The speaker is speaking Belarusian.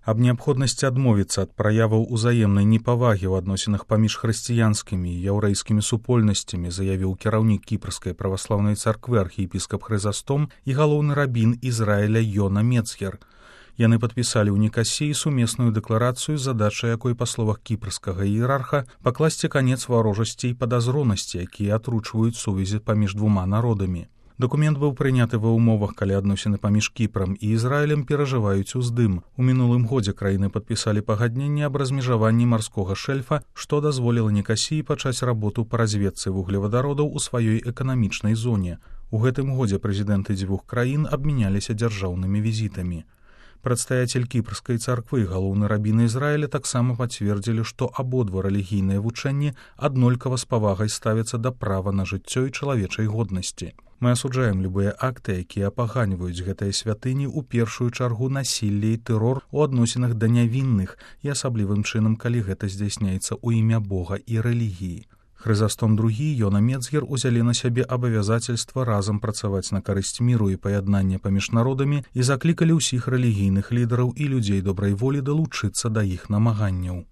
Аб неабходнасці адмовіцца ад праяваў узаемнай непавагі ў адносінах паміж хрысціянскімі і яўрэйскімі супольнасцямі заявіў кіраўнік кіпрскай праваслаўнай царквы архіепіскап Хрызастом і галоўны рабін Ізраіля Йона Мецгер. Яны падпісалі ў Нікасіі сумесную дэкларацыю, задача якой, па словах кіпрскага іерарха, пакласці канец варожасці і падазронасці, якія атручваюць сувязі паміж двума народамі. Дакумент быў прыняты ва ўмовах, калі адносіны паміж Кіпрам і Ізраілем перажываюць уздым. У мінулым годзе краіны падпісалі пагадненне аб размежаванні марскога шэльфа, што дазволіла Нікасіі пачаць работу па разведцы вуглевадародаў у сваёй эканамічнай зоне. У гэтым годзе прэзідэнты дзвюх краін абмяняліся дзяржаўнымі візітамі. Прадстаяцель кіпрскай царквы і галоўны рабін Ізраіля таксама пацвердзілі, што абодва рэлігійныя вучэнні аднолькава з павагай ставяцца да права на жыццё і чалавечай годнасці. Мы асуджаем любыя акты, якія апаганьваюць гэтыя святыні, у першую чаргу насілле і тэрор у адносінах да нявінных і асаблівым чынам, калі гэта здзяйсняецца ў імя Бога і рэлігіі. Хрызастом II і Йона Мецгер узялі на сябе абавязацельства разам працаваць на карысць міру і паяднання паміж народамі і заклікалі ўсіх рэлігійных лідараў і людзей добрай волі далучыцца да іх намаганняў.